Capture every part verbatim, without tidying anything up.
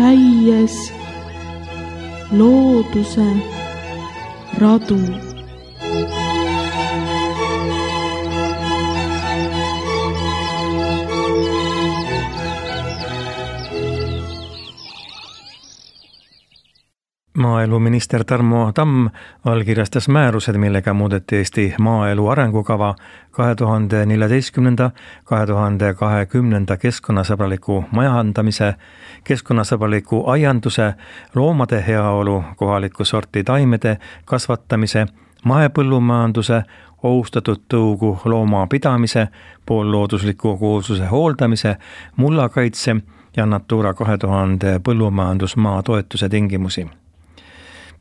käies looduse radu. Maaeluminister Tarmo Tamm allkirjastas määrused, millega muudeti Eesti maaelu arengukava kahe tuhande neljateistkümnenda - kahe tuhande kahekümnenda keskkonnasõbraliku majandamise, keskkonnasõbraliku aianduse, loomade heaolu, kohaliku sorti taimede kasvatamise, mahepõllumajanduse, ohustatud tõugu loomapidamise, poolloodusliku koosluse hooldamise, mullakaitse ja Natura kahe tuhande põllumajandusmaa toetuse tingimusi.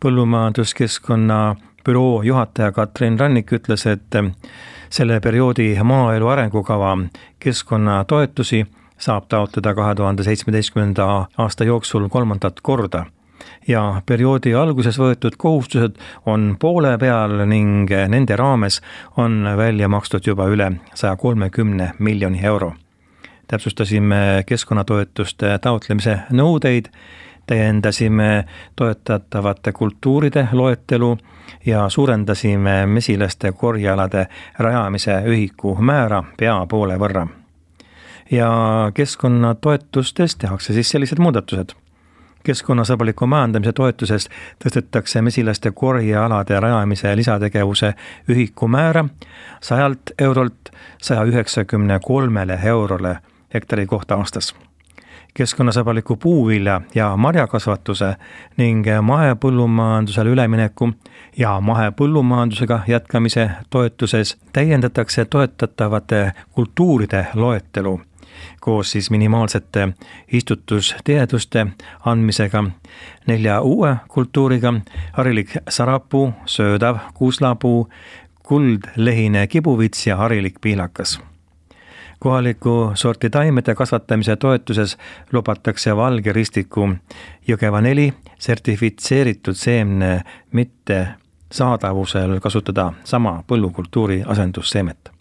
Põllumajanduskeskkonna büroo juhataja Katrin Rannik ütles, et selle perioodi maaelu arengukava keskkonnatoetusi saab taotleda kahe tuhande seitsmeteistkümnenda aasta jooksul kolmandat korda ja perioodi alguses võetud kohustused on poole peal ning nende raames on välja makstud juba üle saja kolmekümne miljoni euro. Täpsustasime keskkonnatoetuste taotlemise nõudeid, täiendasime toetatavate kultuuride loetelu ja suurendasime mesilaste korjealade rajamise ühiku määra pea poole võrra. Ja keskkonnatoetustes tehakse siis sellised muudatused. Keskkonnasõbraliku majandamise toetusest tõstetakse mesilaste korjealade rajamise lisategevuse ühiku määra sajalt eurolt saja üheksakümne kolmele eurole hektari kohta aastas. Keskkonnasõbraliku puuvilja ja marjakasvatuse ning mahepõllumajandusele ülemineku ja mahepõllumajandusega jätkamise toetuses täiendatakse toetatavate kultuuride loetelu koos siis minimaalsete istutustieduste andmisega nelja uue kultuuriga: harilik sarapuu, söödav kuuslapuu, kuldlehine kibuvits ja harilik piilakas. Kohaliku sorti taimede kasvatamise toetuses lubatakse valge ristiku Jõgeva neli sertifitseeritud seemne mitte saadavusel kasutada sama põllukultuuri asendusseemet.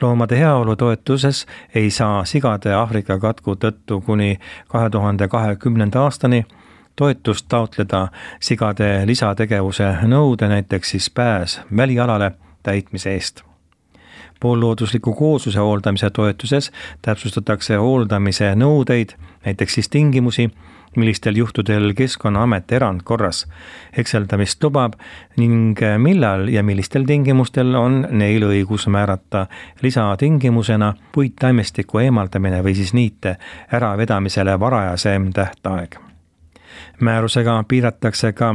Loomade heaolu toetuses ei saa sigade Aafrika katku tõttu kuni kahe tuhande kahekümnenda aastani toetust taotleda sigade lisategevuse nõude, näiteks siis pääs välialale täitmise eest. Poolloodusliku koosluse hooldamise toetuses täpsustatakse hooldamise nõudeid, näiteks siis tingimusi, millistel juhtudel Keskkonnaamet erandkorras hekseldamist lubab ning millal ja millistel tingimustel on neil õigus määrata lisatingimusena puittaimestiku eemaldamine või siis niite äravedamisele varajasem tähtaeg. Määrusega piiratakse ka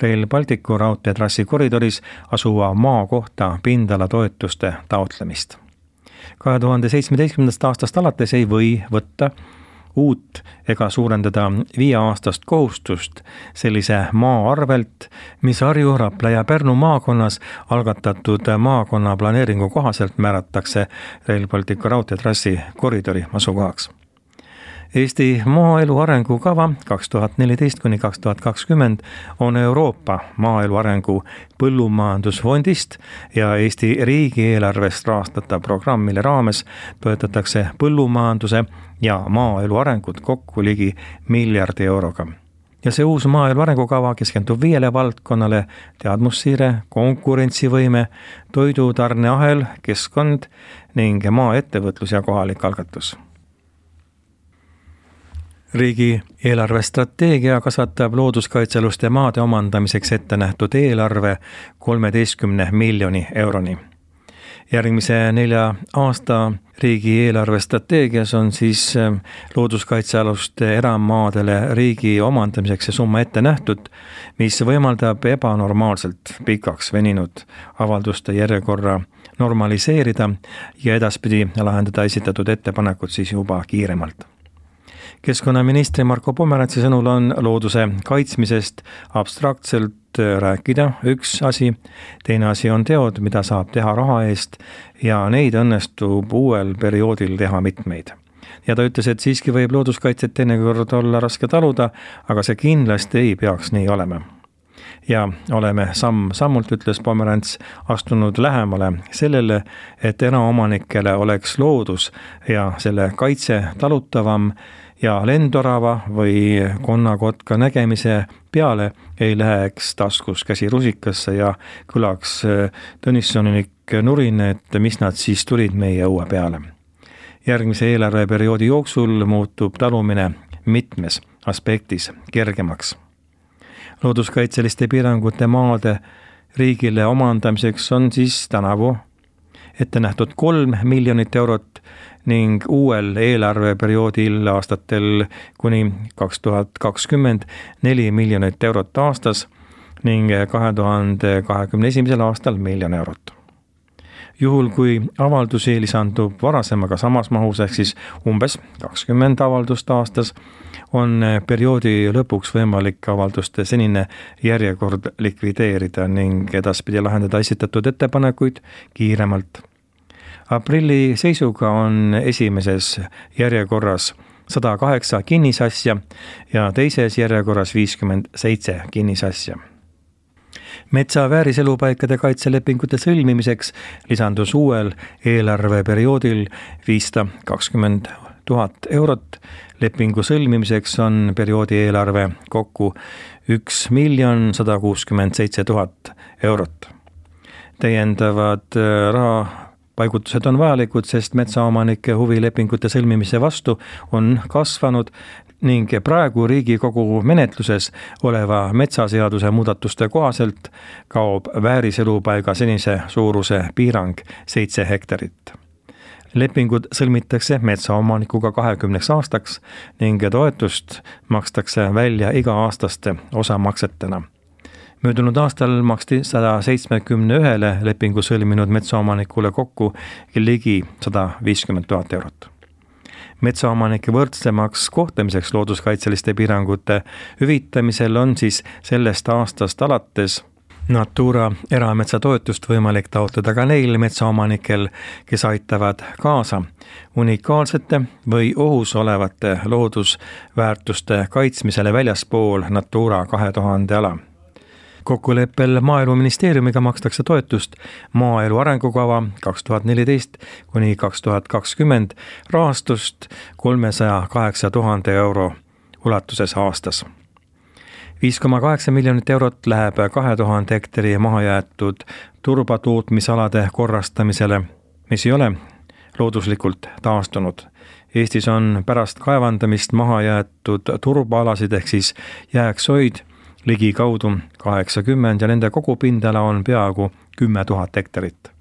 Rail Balticu raudteetrassi koridoris asuva maa kohta pindala toetuste taotlemist. kahe tuhande seitsmeteistkümnendast aastast alates ei või võtta uut ega suurendada viieaastast kohustust sellise maa arvelt, mis Harju, Rapla ja Pärnu maakonnas algatatud maakonna planeeringu kohaselt määratakse Rail Balticu raudteetrassi koridori asukohaks. Eesti maaelu arengukava kaks tuhat neliteist kuni kaks tuhat kakskümmend on Euroopa maaelu arengu põllumajandusfondist ja Eesti riigieelarvest rahastatav programm, mille raames toetatakse põllumajanduse ja maaelu arengut kokku ligi miljardi euroga. Ja see uus maaelu arengukava keskendub viiele valdkonnale: teadmussiire, konkurentsivõime, toidutarneahel, keskkond ning maaettevõtlus ja kohalik algatus. Riigi eelarvestrateegia kasvatab looduskaitsealuste maade omandamiseks ette nähtud eelarve kolmeteistkümne miljoni euroni. Järgmise nelja aasta riigi eelarvestrateegias on siis looduskaitsealuste eramaadele riigi omandamiseks see summa ette nähtud, mis võimaldab ebanormaalselt pikaks veninud avalduste järjekorra normaliseerida ja edaspidi lahendada esitatud ettepanekud siis juba kiiremalt. Keskkonnaministri Marko Pomerantsi sõnul on looduse kaitsmisest abstraktselt rääkida üks asi, teine asi on teod, mida saab teha raha eest ja neid õnnestub uuel perioodil teha mitmeid. Ja ta ütles, et siiski võib looduskaitset teinekord olla raske taluda, aga see kindlasti ei peaks nii olema. Ja oleme samm-sammult, ütles Pomerants, astunud lähemale sellele, et eraomanikele oleks loodus ja selle kaitse talutavam ja lendorava või konnakotka nägemise peale ei läheks taskus käsi rusikasse ja kõlaks Tõnissonik nurin, et mis nad siis tulid meie õue peale. Järgmise eelarveperioodi jooksul muutub talumine mitmes aspektis kergemaks. Looduskaitseliste piirangute maade riigile omandamiseks on siis tänavu ette nähtud kolm miljonit eurot ning uuel eelarveperioodil aastatel kuni kaks tuhat kakskümmend neli miljonit eurot aastas ning kahe tuhande kahekümne esimesel aastal miljon eurot. Juhul kui avaldusi lisandub varasemaga samas mahus ehk siis umbes kakskümmend avaldust aastas, on perioodi lõpuks võimalik avalduste senine järjekord likvideerida ning edaspidi lahendada esitatud ettepanekuid kiiremalt. Aprilli seisuga on esimeses järjekorras sada kaheksa kinnisasja ja teises järjekorras viiskümmend seitse kinnisasja. Metsa vääriselupaikade kaitselepingute sõlmimiseks lisandus uuel eelarveperioodil viissada kakskümmend tuhat eurot. Lepingu sõlmimiseks on perioodi eelarve kokku üks miljon sada kuuskümmend seitse tuhat eurot. Täiendavad raha paigutused on vajalikud, sest metsaomanike huvilepingute sõlmimise vastu on kasvanud ning praegu Riigikogu menetluses oleva metsaseaduse muudatuste kohaselt kaob vääriselupaiga senise suuruse piirang seitse hektarit. Lepingud sõlmitakse metsaomanikuga kahekümneks aastaks ning toetust makstakse välja iga-aastaste osamaksetena. Möödunud aastal maksti sada seitsekümmend ühele lepingu sõlminud metsaomanikule kokku ligi sada viiskümmend tuhat eurot. Metsaomanike võrdsemaks kohtlemiseks looduskaitseliste piirangute hüvitamisel on siis sellest aastast alates Natura erametsatoetust võimalik taotleda ka neil metsaomanikel, kes aitavad kaasa unikaalsete või ohus olevate loodusväärtuste kaitsmisele väljaspool Natura kahe tuhande ala. Kokkuleppel Maaeluministeeriumiga makstakse toetust maaelu arengukava kaks tuhat neliteist kuni kaks tuhat kakskümmend rahastust kolmesaja kaheksa tuhande euro ulatuses aastas. viis koma kaheksa miljonit eurot läheb kahe tuhande hektari mahajäetud turbatootmisalade korrastamisele, mis ei ole looduslikult taastunud. Eestis on pärast kaevandamist mahajäetud turbaalasid ehk siis jääksoid ligi kaudu kaheksakümmend ja nende kogupindala on peaaegu kümme tuhat hektarit.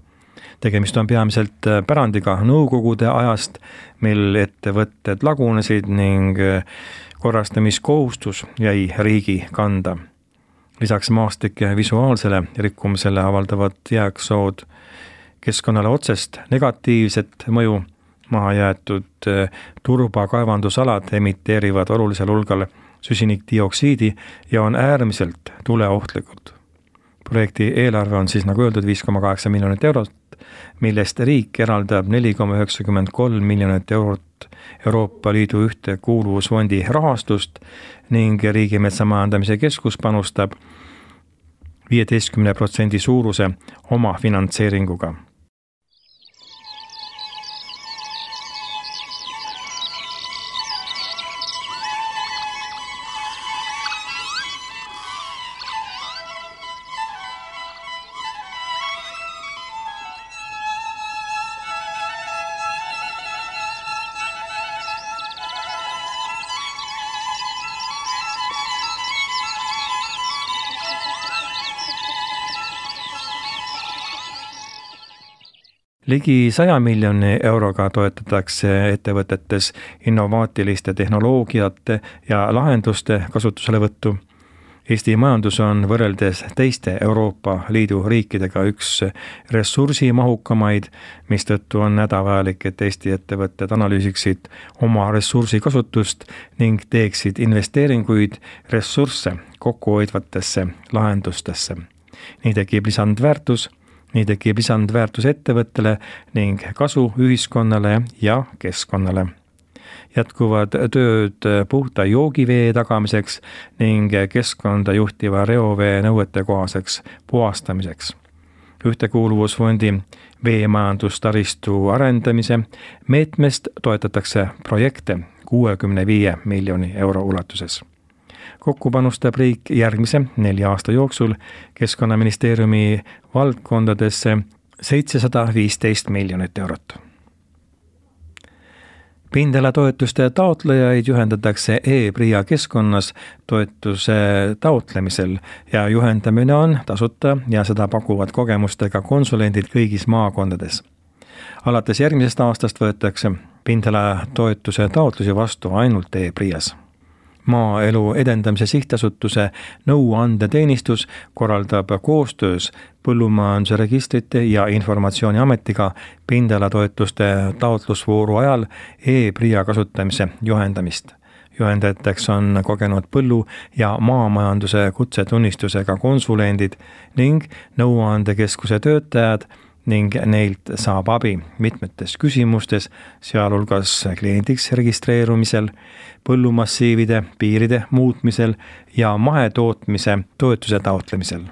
Tegemist on peamiselt pärandiga nõukogude ajast, mil ettevõtted lagunesid ning korrastamiskohustus jäi riigi kanda. Lisaks maastike visuaalsele rikkumisele avaldavad jääksood keskkonnale otsest negatiivset mõju. Mahajäetud turbakaevandusalad emiteerivad olulisel hulgal süsinikdioksiidi ja on äärmiselt tuleohtlikud. Projekti eelarve on siis nagu öeldud viis koma kaheksa miljonit eurot, millest riik eraldab neli koma üheksakümmend kolm miljonit eurot Euroopa Liidu ühtekuuluvusfondi rahastust ning Riigimetsa Majandamise Keskus panustab viieteistkümne protsendi suuruse oma finantseeringuga. Ligi saja miljoni euroga toetatakse ettevõtetes innovaatiliste tehnoloogiate ja lahenduste kasutuselevõttu. Eesti majandus on võrreldes teiste Euroopa Liidu riikidega üks ressursimahukamaid, mistõttu on hädavajalik, et Eesti ettevõtted analüüsiksid oma ressursikasutust ning teeksid investeeringuid ressursse kokkuhoidvatesse lahendustesse. Nii tekib lisandväärtus, nii tekib lisandväärtus ettevõttele ning kasu ühiskonnale ja keskkonnale. Jätkuvad tööd puhta joogivee tagamiseks ning keskkonda juhtiva reovee nõuete kohaseks puhastamiseks. Ühtekuuluvusfondi veemajandustaristu arendamise meetmest toetatakse projekte kuuekümne viie miljoni euro ulatuses. Kokku panustab riik järgmise nelja aasta jooksul Keskkonnaministeeriumi valdkondadesse seitsesada viisteist miljonit eurot. Pindalatoetuste taotlejaid juhendatakse e-PRIA keskkonnas toetuse taotlemisel ja juhendamine on tasuta ja seda pakuvad kogemustega konsulendid kõigis maakondades. Alates järgmisest aastast võetakse pindalatoetuse taotlusi vastu ainult e-PRIAs. Maaelu edendamise sihtasutuse nõuandeteenistus korraldab koostöös Põllumajanduse registrite ja informatsiooniametiga pindalatoetuste taotlusvooru ajal e-PRIA kasutamise juhendamist. Juhendajateks on kogenud põllu- ja maamajanduse kutsetunnistusega konsulendid ning nõuandekeskuse töötajad ning neilt saab abi mitmetes küsimustes, sealhulgas kliendiks registreerumisel, põllumassiivide piiride muutmisel ja mahetootmise toetuse taotlemisel.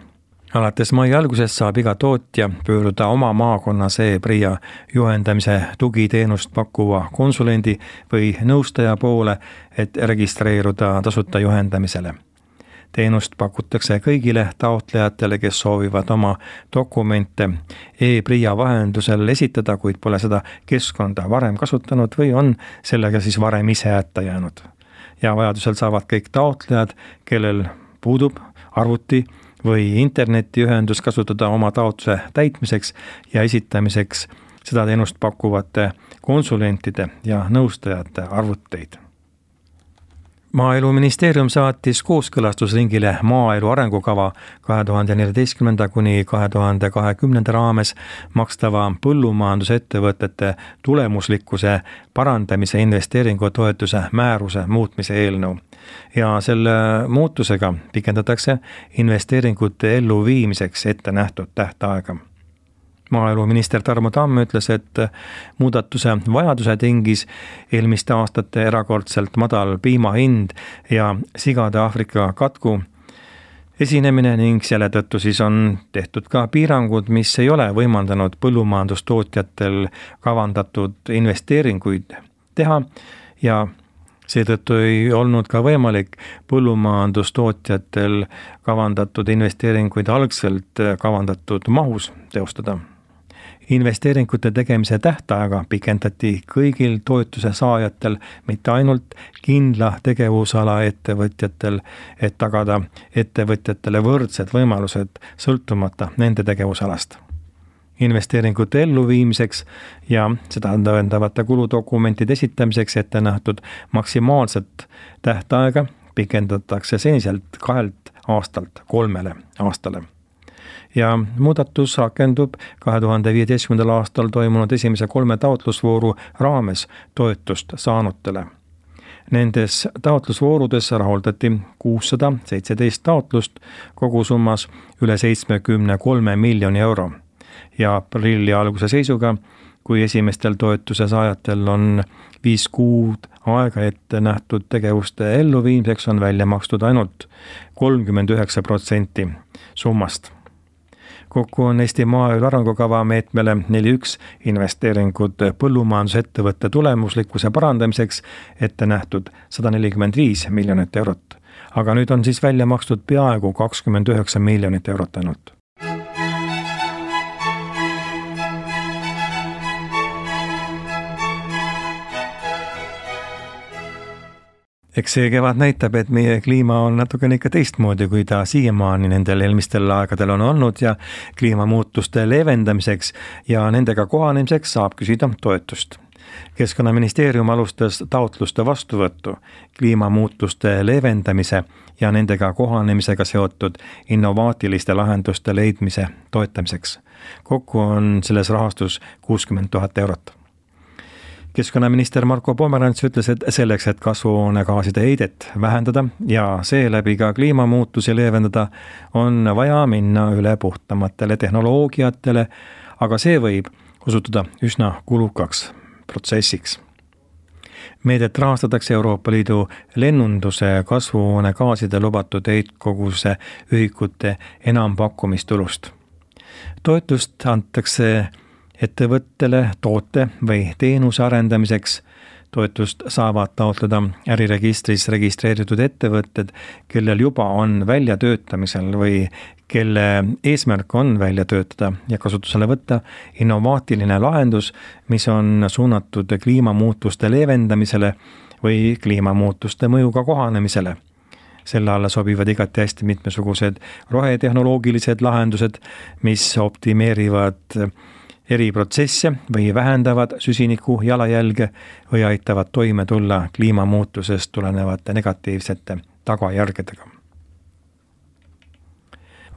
Alates mai algusest saab iga tootja pöörduda oma maakonnas e-PRIA juhendamise tugiteenust pakkuva konsulendi või nõustaja poole, et registreeruda tasuta juhendamisele. Teenust pakutakse kõigile taotlejatele, kes soovivad oma dokumente e-PRIA vahendusel esitada, kuid pole seda keskkonda varem kasutanud või on sellega siis varem ise hätta jäänud. Ja vajadusel saavad kõik taotlejad, kellel puudub arvuti või internetiühendus, kasutada oma taotluse täitmiseks ja esitamiseks seda teenust pakkuvate konsulentide ja nõustajate arvuteid. Maaeluministeerium saatis kooskõlastusringile maaelu arengukava kahe tuhande neljateistkümnenda kuni kahe tuhande kahekümnenda raames makstava põllumajandusettevõtete tulemuslikkuse parandamise investeeringutoetuse määruse muutmise eelnõu. Ja selle muutusega pikendatakse investeeringute elluviimiseks ette nähtud tähtaega. Maaeluminister Tarmo Tamm ütles, et muudatuse vajaduse tingis eelmiste aastate erakordselt madal piimahind ja sigade Aafrika katku esinemine ning selle tõttu siis on tehtud ka piirangud, mis ei ole võimaldanud põllumajandustootjatel kavandatud investeeringuid teha ja seetõttu ei olnud ka võimalik põllumajandustootjatel kavandatud investeeringuid algselt kavandatud mahus teostada. Investeeringute tegemise tähtaega pikendati kõigil toetuse saajatel, mitte ainult kindla tegevusala ettevõtjatel, et tagada ettevõtjatele võrdsed võimalused sõltumata nende tegevusalast. Investeeringute elluviimiseks ja seda tõendavate kuludokumentide esitamiseks ette nähtud maksimaalset tähtaega pikendatakse seniselt kahelt aastalt kolmele aastale. Ja muudatus rakendub kahe tuhande viieteistkümnendal aastal toimunud esimese kolme taotlusvooru raames toetust saanutele. Nendes taotlusvoorudes rahuldati kuussada seitseteist taotlust kogusummas üle seitsmekümne kolme miljoni euro. Ja aprilli alguse seisuga, kui esimestel toetuse saajatel on viis kuud aega ette nähtud tegevuste elluviimiseks, on välja makstud ainult kolmkümmend üheksa protsenti summast. Kokku on Eesti maaelu arengukava meetmele neli üks investeeringud põllumajandusettevõtte tulemuslikkuse parandamiseks ette nähtud sada nelikümmend viis miljonit eurot. Aga nüüd on siis välja makstud peaaegu kakskümmend üheksa miljonit eurot ainult. Eks see kevad näitab, et meie kliima on natukene ikka teistmoodi, kui ta siiamaani nendel eelmistel aegadel on olnud ja kliimamuutuste leevendamiseks ja nendega kohanemiseks saab küsida toetust. Keskkonnaministeerium alustas taotluste vastuvõttu kliimamuutuste leevendamise ja nendega kohanemisega seotud innovaatiliste lahenduste leidmise toetamiseks. Kokku on selles rahastus kuuskümmend tuhat eurot. Keskkonnaminister Marko Pomerants ütles, et selleks, et kasvuhoonegaaside heidet vähendada ja seeläbi ka kliimamuutusi leevendada, on vaja minna üle puhtamatele tehnoloogiatele, aga see võib osutuda üsna kulukaks protsessiks. Meedet rahastatakse Euroopa Liidu lennunduse kasvuhoonegaaside lubatud heitkoguse ühikute enampakkumistulust. Toetust antakse ettevõttele toote või teenuse arendamiseks, toetust saavad taotleda äriregistris registreeritud ettevõtted, kellel juba on väljatöötamisel või kelle eesmärk on välja töötada ja kasutusele võtta innovaatiline lahendus, mis on suunatud kliimamuutuste leevendamisele või kliimamuutuste mõjuga kohanemisele. Selle alla sobivad igati hästi mitmesugused rohetehnoloogilised lahendused, mis optimeerivad eri protsesse või vähendavad süsiniku jalajälge või aitavad toime tulla kliimamuutusest tulenevate negatiivsete tagajärgedega.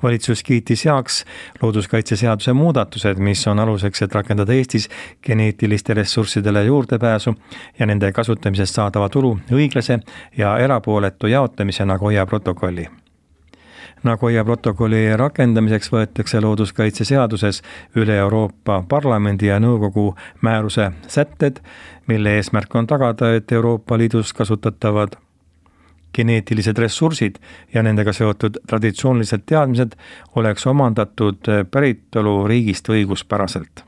Valitsus kiitis heaks looduskaitseseaduse muudatused, mis on aluseks, et rakendada Eestis geneetiliste ressurssidele juurdepääsu ja nende kasutamisest saadava tulu õiglase ja erapooletu jaotamise Nagoya protokolli. Nagoya protokolli rakendamiseks võetakse looduskaitseseaduses üle Euroopa Parlamendi ja Nõukogu määruse sätted, mille eesmärk on tagada, et Euroopa Liidus kasutatavad geneetilised ressursid ja nendega seotud traditsioonilised teadmised oleks omandatud päritolu riigist õiguspäraselt.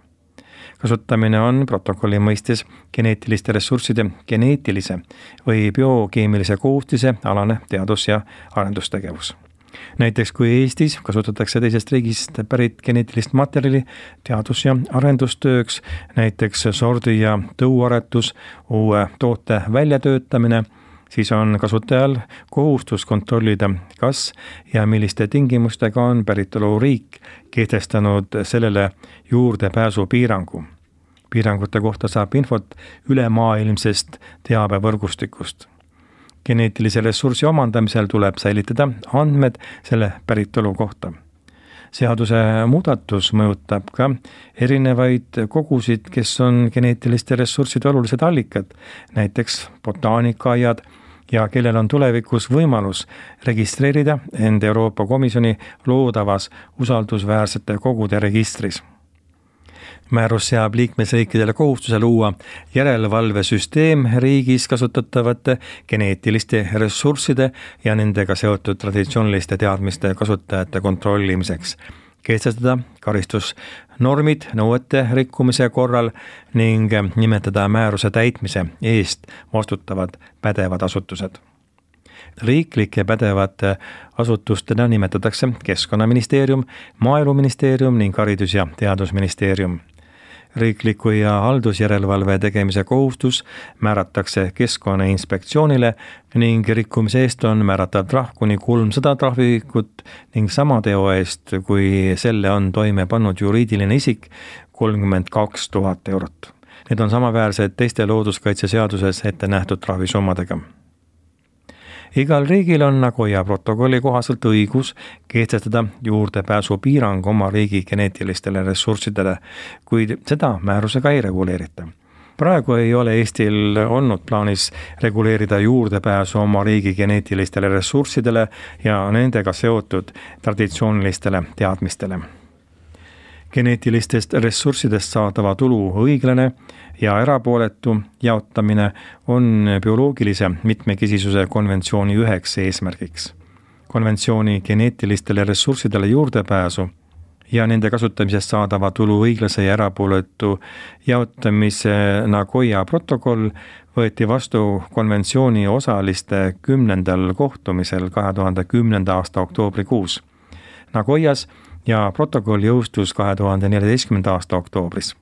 Kasutamine on protokolli mõistes geneetiliste ressursside geneetilise või biokeemilise koostise alane teadus- ja arendustegevus. Näiteks kui Eestis kasutatakse teisest riigist pärit geneetilist materjali teadus- ja arendustööks, näiteks sordi- ja tõuaretus, uue toote väljatöötamine, siis on kasutajal kohustus kontrollida, kas ja milliste tingimustega on päritoluriik kehtestanud sellele juurdepääsu piirangu. Piirangute kohta saab infot ülemaailmsest teabevõrgustikust. Geneetilise ressursi omandamisel tuleb säilitada andmed selle päritolu kohta. Seaduse muudatus mõjutab ka erinevaid kogusid, kes on geneetiliste ressursside olulised allikad, näiteks botaanikaaiad, ja kellel on tulevikus võimalus registreerida end Euroopa Komisjoni loodavas usaldusväärsete kogude registris. Määrus seab liikmesriikidele kohustuse luua järelevalvesüsteem riigis kasutatavate geneetiliste ressursside ja nendega seotud traditsiooniliste teadmiste kasutajate kontrollimiseks, kehtestada karistusnormid nõuete rikkumise korral ning nimetada määruse täitmise eest vastutavad pädevad asutused. Riiklike pädevate asutustena nimetatakse Keskkonnaministeerium, Maaeluministeerium ning Haridus- ja Teadusministeerium. Riikliku ja haldusjärelevalve tegemise kohustus määratakse Keskkonnainspektsioonile ning rikkumise eest on määratav trahv kuni kolmsada trahviühikut ning sama teo eest, kui selle on toime pannud juriidiline isik, kolmkümmend kaks tuhat eurot. Need on samaväärsed teiste looduskaitseseaduses ette nähtud trahvisummadega. Igal riigil on Nagoya protokolli kohaselt õigus kehtestada juurdepääsu piirang oma riigi geneetilistele ressurssidele, kuid seda määrusega ei reguleerita. Praegu ei ole Eestil olnud plaanis reguleerida juurdepääsu oma riigi geneetilistele ressurssidele ja nendega seotud traditsioonilistele teadmistele. Geneetilistest ressurssidest saadava tulu õiglane ja erapooletu jaotamine on bioloogilise mitmekesisuse konventsiooni üheks eesmärgiks. Konventsiooni geneetilistele ressurssidele juurdepääsu ja nende kasutamisest saadava tulu õiglase ja erapooletu jaotamise Nagoya protokoll võeti vastu konventsiooni osaliste kümnendal kohtumisel kahe tuhande kümnenda aasta oktoobrikuus Nagoyas ja protokoll jõustus kahe tuhande neljateistkümnenda aasta oktoobris.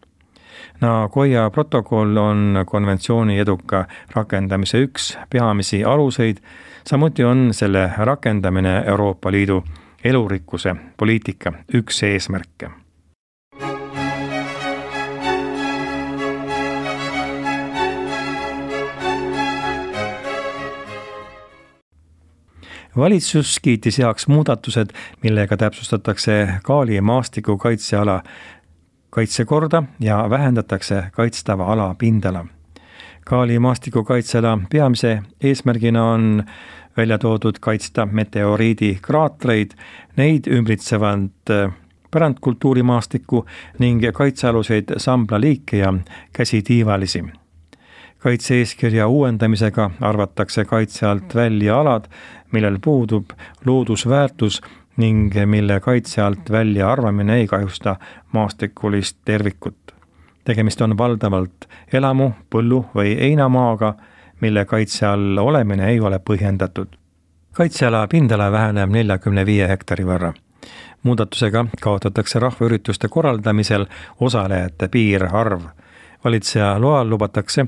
Nagoya protokoll on konventsiooni eduka rakendamise üks peamisi aluseid, samuti on selle rakendamine Euroopa Liidu elurikkuse poliitika üks eesmärke. Valitsus kiitis heaks muudatused, millega täpsustatakse Kaali maastiku kaitseala kaitsekorda ja vähendatakse kaitstava ala pindala. Kaali maastiku kaitseala peamise eesmärgina on välja toodud kaitsta meteoriidi kraatreid, neid ümbritsevad pärandkultuurimaastikku ning kaitsealuseid samblaliike ja käsitiivalisi. Kaitse-eeskirja uuendamisega arvatakse kaitse alt välja alad, millel puudub loodusväärtus ning mille kaitse alt välja arvamine ei kahjusta maastikulist tervikut. tegemist on valdavalt elamu, põllu või heinamaaga, mille kaitse all olemine ei ole põhjendatud. Kaitseala pindala väheneb neljakümne viie hektari võrra. Muudatusega kaotatakse rahvaürituste korraldamisel osalejate piirarv. Valitseja loal lubatakse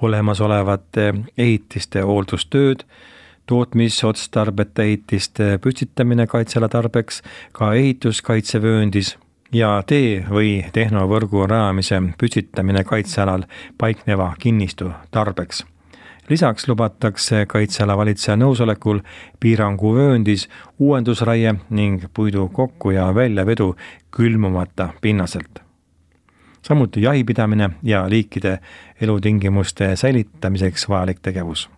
olemasolevate ehitiste hooldustööd, tootmisotstarbete ehitiste püstitamine kaitseala tarbeks, ka ehituskaitsevööndis ja tee või tehnovõrgu rajamise püstitamine kaitsealal paikneva kinnistu tarbeks. Lisaks lubatakse kaitseala valitseja nõusolekul piiranguvööndis uuendusraie ning puidu kokku- ja väljavedu külmumata pinnaselt. Samuti jahipidamine ja liikide elutingimuste säilitamiseks vajalik tegevus.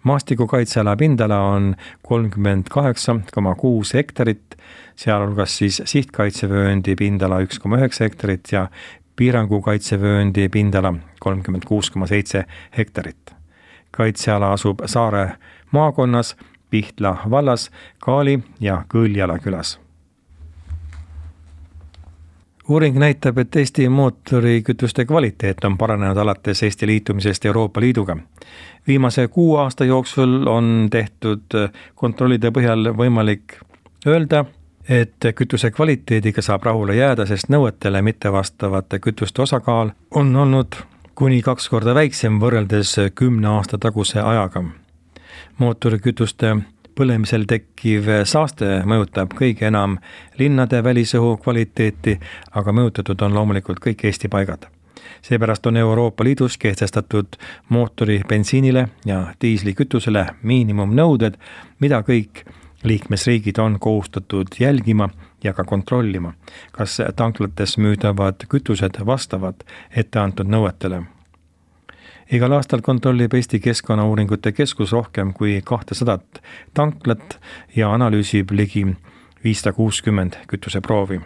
Maastikukaitseala pindala on kolmkümmend kaheksa koma kuus hektarit, sealhulgas siis sihtkaitsevööndi pindala üks koma üheksa hektarit ja piirangukaitsevööndi pindala kolmkümmend kuus koma seitse hektarit. Kaitseala asub Saare maakonnas, Pihtla vallas, Kaali ja Kõljala külas. Uuring näitab, et Eesti mootorikütuste kvaliteet on paranenud alates Eesti liitumisest Euroopa Liiduga. Viimase kuu aasta jooksul on tehtud kontrollide põhjal võimalik öelda, et kütuse kvaliteediga saab rahule jääda, sest nõuetele mittevastavate kütuste osakaal on olnud kuni kaks korda väiksem võrreldes kümne aasta taguse ajaga. Mootorikütuste põlemisel tekkiv saaste mõjutab kõige enam linnade välisõhu kvaliteeti, aga mõjutatud on loomulikult kõik Eesti paigad. Seepärast on Euroopa Liidus kehtestatud mootori bensiinile ja diislikütusele miinimumnõuded, mida kõik liikmesriigid on kohustatud jälgima ja ka kontrollima, kas tanklates müüdavad kütused vastavad etteantud nõuetele. Igal aastal kontrollib Eesti Keskkonnauuringute Keskus rohkem kui kahtesadat tanklat ja analüüsib ligi viissada kuuskümmend kütuseproovi.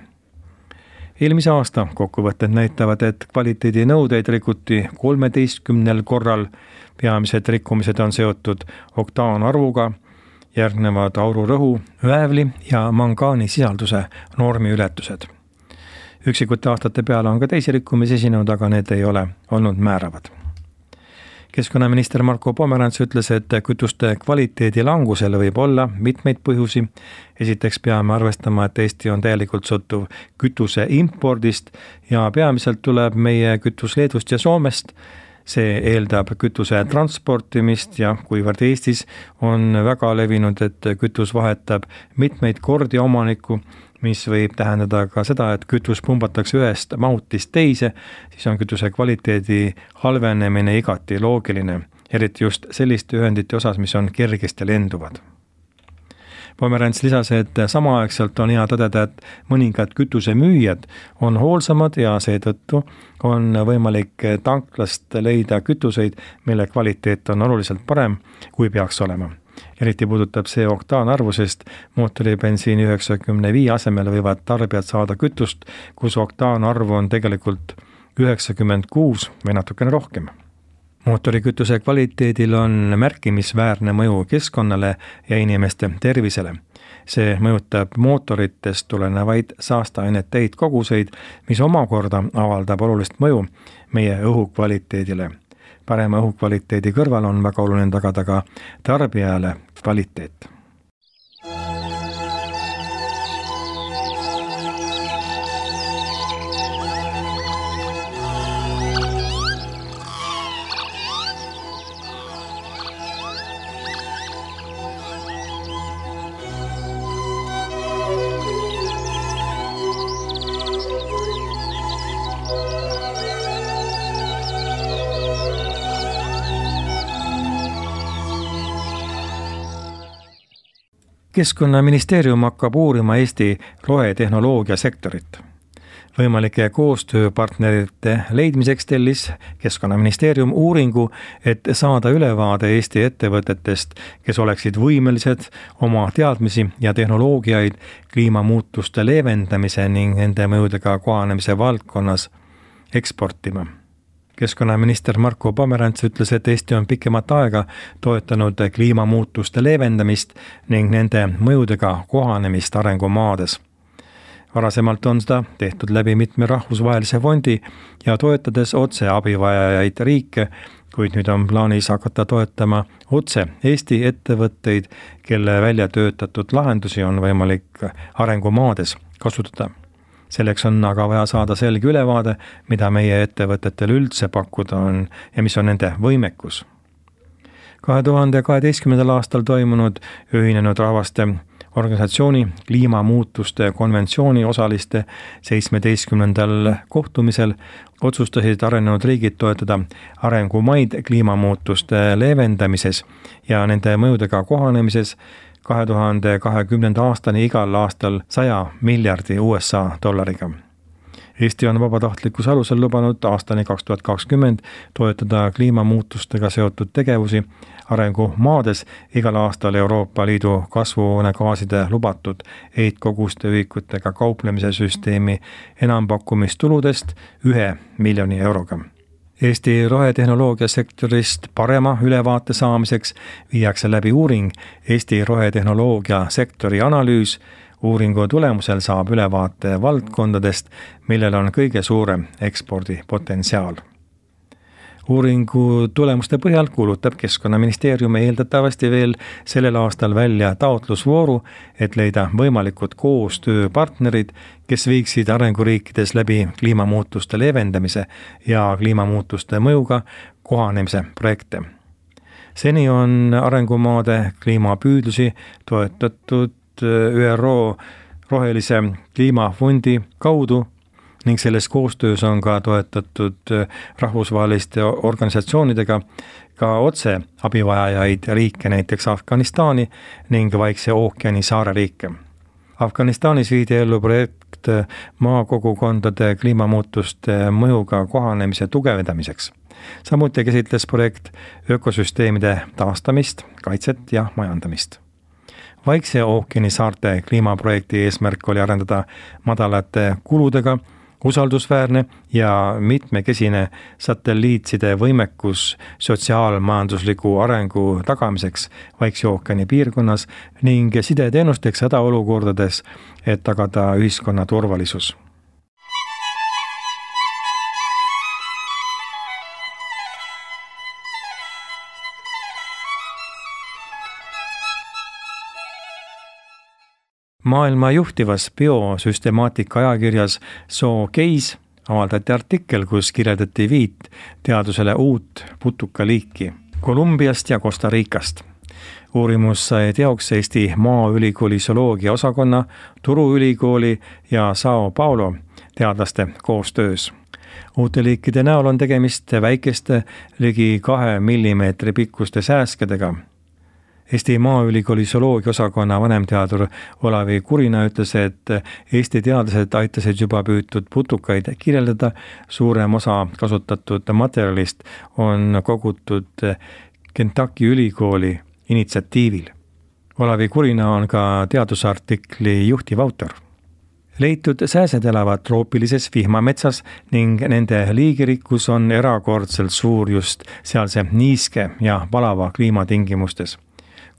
Eelmise aasta kokkuvõtted näitavad, et kvaliteedinõudeid rikuti kolmeteistkümnel korral, peamised rikkumised on seotud oktaanarvuga, järgnevad aururõhu, väävli ja mangaani sisalduse normiületused. Üksikute aastate peale on ka teisi rikkumisi esinenud, aga need ei ole olnud määravad. Keskkonnaminister Marko Pomerants ütles, et kütuste kvaliteedi langusel võib olla mitmeid põhjusi. Esiteks peame arvestama, et Eesti on täielikult sõltuv kütuse impordist ja peamiselt tuleb meie kütus Leedust ja Soomest. See eeldab kütuse transportimist ja kuivõrd Eestis on väga levinud, et kütus vahetab mitmeid kordi omanikku, mis võib tähendada ka seda, et kütus pumbatakse ühest mahutist teise, siis on kütuse kvaliteedi halvenemine igati loogiline, eriti just selliste ühendite osas, mis on kergesti lenduvad. Pomerants lisas, et samaaegselt on hea tõdeda, et mõningad kütusemüüjad on hoolsamad ja seetõttu on võimalik tanklast leida kütuseid, mille kvaliteet on oluliselt parem, kui peaks olema. Eriti puudutab see oktaanarvu, sest mootoribensiini üheksakümne viie asemel võivad tarbijad saada kütust, kus oktaanarvu on tegelikult üheksakümmend kuus või natukene rohkem. Mootorikütuse kvaliteedil on märkimisväärne mõju keskkonnale ja inimeste tervisele. See mõjutab mootoritest tulenevaid saasteainete heitkoguseid, mis omakorda avaldab olulist mõju meie õhukvaliteedile. Parema õhukvaliteedi kõrval on väga oluline tagada ka tarbijale kvaliteet. Keskkonnaministeerium hakkab uurima Eesti rohetehnoloogia sektorit. Võimalike koostööpartnerite leidmiseks tellis Keskkonnaministeerium uuringu, et saada ülevaade Eesti ettevõtetest, kes oleksid võimelised oma teadmisi ja tehnoloogiaid kliimamuutuste leevendamise ning nende mõjudega kohanemise valdkonnas eksportima. Keskkonnaminister Marko Pomerants ütles, et Eesti on pikemat aega toetanud kliimamuutuste leevendamist ning nende mõjudega kohanemist arengumaades. Varasemalt on seda tehtud läbi mitme rahvusvahelise fondi ja toetades otse abivajajaid riike, kuid nüüd on plaanis hakata toetama otse Eesti ettevõtteid, kelle välja töötatud lahendusi on võimalik arengumaades kasutada. Selleks on aga vaja saada selge ülevaade, mida meie ettevõtetel üldse pakkuda on ja mis on nende võimekus. kahe tuhande kaheteistkümnendal aastal toimunud Ühinenud Rahvaste Organisatsiooni kliimamuutuste konventsiooni osaliste seitsmeteistkümnendal kohtumisel otsustasid arenenud riigid toetada arengumaid kliimamuutuste leevendamises ja nende mõjudega kohanemises kahe tuhande kahekümnenda aastani igal aastal saja miljardi U S A dollariga. Eesti on vabatahtlikkuse alusel lubanud aastani kaks tuhat kakskümmend toetada kliimamuutustega seotud tegevusi arengumaades igal aastal Euroopa Liidu kasvuhoonegaaside lubatud heitkoguste ühikutega kauplemise süsteemi enampakkumistuludest ühe miljoni euroga. Eesti rohetehnoloogia sektorist parema ülevaate saamiseks viiakse läbi uuring Eesti rohetehnoloogia sektori analüüs. Uuringu tulemusel saab ülevaate valdkondadest, millel on kõige suurem ekspordipotentsiaal. Uuringu tulemuste põhjal kuulutab Keskkonnaministeerium eeldatavasti veel sellel aastal välja taotlusvooru, et leida võimalikud koostööpartnerid, kes viiksid arenguriikides läbi kliimamuutuste leevendamise ja kliimamuutuste mõjuga kohanemise projekte. Seni on arengumaade kliimapüüdlusi toetatud ÜRO rohelise kliimafondi kaudu ning selles koostöös on ka toetatud rahvusvaheliste organisatsioonidega ka otse abivajajaid riike, näiteks Afganistani ning Vaikse ookeani saareriike. Afganistanis viidi ellu projekt maakogukondade kliimamuutuste mõjuga kohanemise tugevdamiseks. Samuti käsitles projekt ökosüsteemide taastamist, kaitset ja majandamist. Vaikse ookeani saarte kliimaprojekti eesmärk oli arendada madalate kuludega, usaldusväärne ja mitmekesine satelliitside võimekus sotsiaalmajandusliku arengu tagamiseks Vaikse ookeani piirkonnas ning sideteenusteks hädaolukordades, et tagada ühiskonna turvalisus. Maailma juhtivas biosüstemaatika ajakirjas Zoocase avaldati artikkel, kus kirjeldati viit teadusele uut putukaliiki Kolumbiast ja Costa Ricast. Uurimus sai teoks Eesti Maaülikooli zooloogia osakonna, Turu ülikooli ja Sao Paulo teadlaste koostöös. Uute liikide näol on tegemist väikeste ligi kahe millimeetri pikkuste sääskedega. Eesti Maaülikooli zooloogia osakonna vanemteadur Olavi Kurina ütles, et Eesti teadlased aitasid juba püütud putukaid kirjeldada, suurem osa kasutatud materjalist on kogutud Kentucky ülikooli initsiatiivil. Olavi Kurina on ka teadusartikli juhtiv autor. Leitud sääsed elavad troopilises vihmametsas ning nende liigirikkus on erakordselt suur just sealse niiske ja valava kliimatingimustes.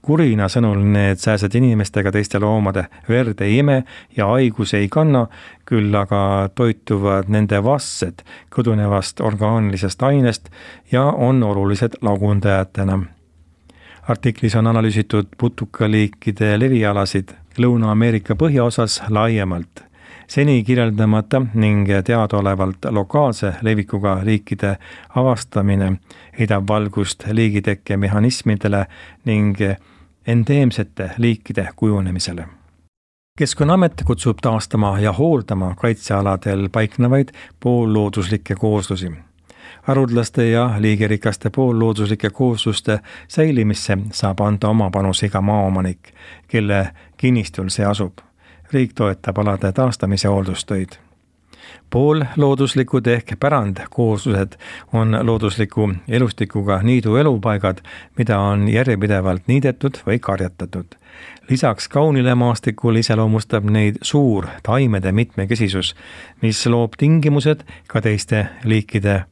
Kurina sõnul need sääsed inimestega teiste loomade verd ei ime ja haigus ei kanna, küll aga toituvad nende vastsed kõdunevast orgaanilisest ainest ja on olulised lagundajatena. Artiklis on analüüsitud putukaliikide levialasid Lõuna-Ameerika põhjaosas laiemalt. Seni kirjeldamata ning teadaolevalt lokaalse levikuga liikide avastamine heidab valgust liigitekke mehhanismidele ning endeemsete liikide kujunemisele. Keskkonnaamet kutsub taastama ja hooldama kaitsealadel paiknevaid poollooduslikke kooslusi. Harudlaste ja liigirikaste poollooduslike koosluste säilimisse saab anda oma panus iga maaomanik, kelle kinnistul see asub. Riik toetab alade taastamise hooldustöid. Poollooduslikud ehk pärandkooslused on loodusliku elustikuga niidu elupaigad, mida on järjepidevalt niidetud või karjatatud. Lisaks kaunile maastikul iseloomustab neid suur taimede mitmekesisus, mis loob tingimused ka teiste liikide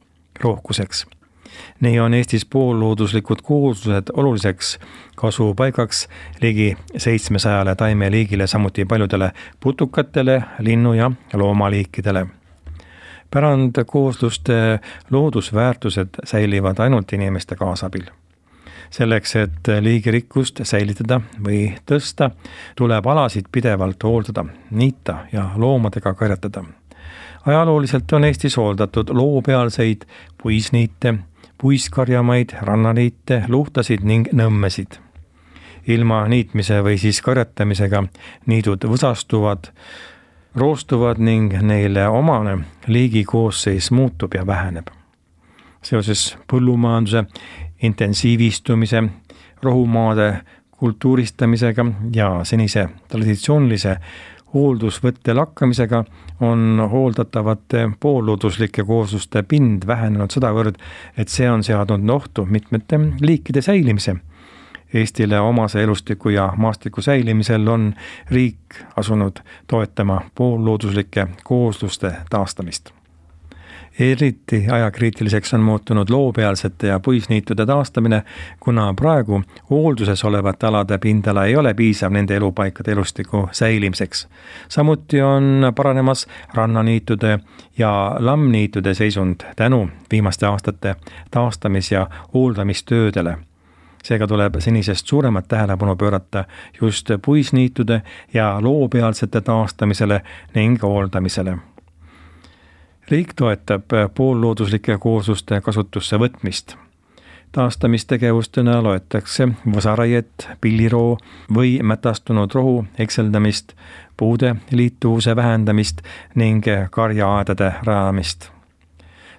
rohkuseks. Nii on Eestis poollooduslikud kooslused oluliseks kasupaigaks ligi seitsmesajale taimeliigile, samuti paljudele putukatele, linnu- ja loomaliikidele. Pärandkoosluste loodusväärtused säilivad ainult inimeste kaasabil. Selleks, et liigirikkust säilitada või tõsta, tuleb alasid pidevalt hooldada, niita ja loomadega karjatada. Ajalooliselt on Eestis hooldatud loopealseid puisniite, puiskarjamaid, rannaniite, luhtasid ning nõmmesid. Ilma niitmise või siis karjatamisega niidud võsastuvad, roostuvad ning neile omane liigi koosseis muutub ja väheneb. Seoses põllumajanduse intensiivistumise, rohumaade kultuuristamisega ja senise traditsioonilise hooldusvõtte lakkamisega on hooldatavate poollooduslike koosluste pind vähenenud sedavõrd, et see on seadnud ohtu mitmete liikide säilimise. Eestile omase elustiku ja maastiku säilimisel on riik asunud toetama poollooduslike koosluste taastamist. Eriti ajakriitiliseks on muutunud loopealsete ja puisniitude taastamine, kuna praegu hoolduses olevate alade pindala ei ole piisav nende elupaikade elustiku säilimiseks. Samuti on paranemas rannaniitude ja lammniitude seisund tänu viimaste aastate taastamis- ja hooldamistöödele. Seega tuleb senisest suuremat tähelepanu pöörata just puisniitude ja loopealsete taastamisele ning hooldamisele. Riik toetab poollooduslike koosluste kasutusse võtmist. Taastamistegevustena loetakse võsaraiet, pilliroo või mätastunud rohu ekseldamist, puude liituvuse vähendamist ning karjaaedade rajamist.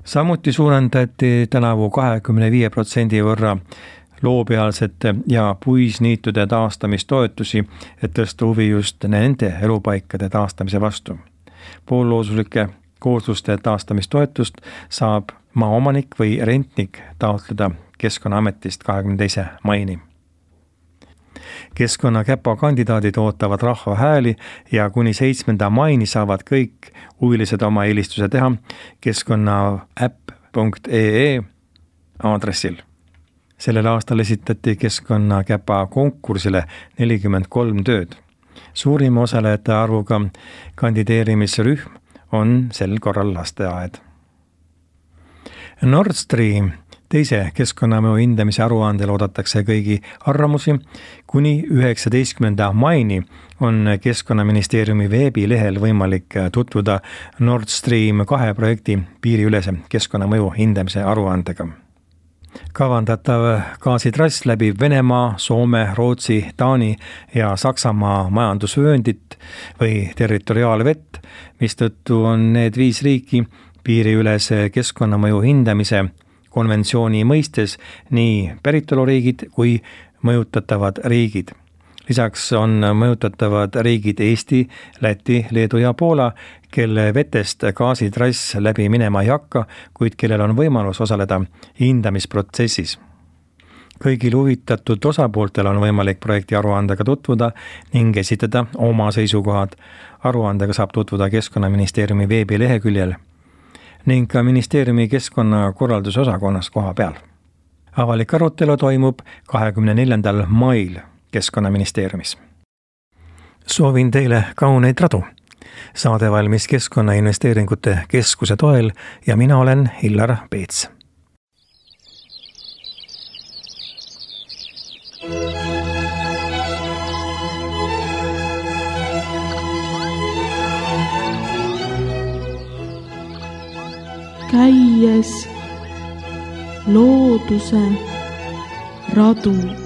Samuti suurendati tänavu kahekümne viie protsendi võrra loopealsete ja puisniitude taastamistoetusi, et tõsta huvi just nende elupaikade taastamise vastu. Poollooduslike koosluste taastamistoetust saab maaomanik või rentnik taotleda Keskkonnaametist kahekümne teise maini. Keskkonnakäpa kandidaadid ootavad rahva hääli ja kuni seitsmenda maini saavad kõik huvilised oma eelistuse teha keskkonnaäpp punkt ee aadressil. Sellel aastal esitati Keskkonnakäpa konkursile nelikümmend kolm tööd. Suurima osalejate arvuga kandideerimisrühm on sel korral lasteaed. Nord Stream teise keskkonnamõju hindamise aruandel oodatakse kõigi arvamusi. Kuni üheksateistkümnenda maini on Keskkonnaministeeriumi veebilehel võimalik tutvuda Nord Stream kahe projekti piiriülese keskkonnamõju hindamise aruandega. Kavandatav gaasitrass läbib Venemaa, Soome, Rootsi, Taani ja Saksamaa majandusvööndit või territoriaalvett, mistõttu on need viis riiki piiriülese keskkonnamõju hindamise konventsiooni mõistes nii päritoluriigid kui mõjutatavad riigid. Lisaks on mõjutatavad riigid Eesti, Läti, Leedu ja Poola, kelle vetest gaasitrass läbi minema ei hakka, kuid kellel on võimalus osaleda hindamisprotsessis. Kõigil huvitatud osapooltel on võimalik projekti aruandega tutvuda ning esitada oma seisukohad. Aruandega saab tutvuda Keskkonnaministeeriumi veebileheküljel ning ka ministeeriumi keskkonnakorralduse osakonnas koha peal. Avalik arutelu toimub kahekümne neljandal mail Keskkonnaministeeriumis. Soovin teile kauneid radu. Saade valmis Keskkonnainvesteeringute Keskuse toel ja mina olen Hillar Peets. Käies looduse radu.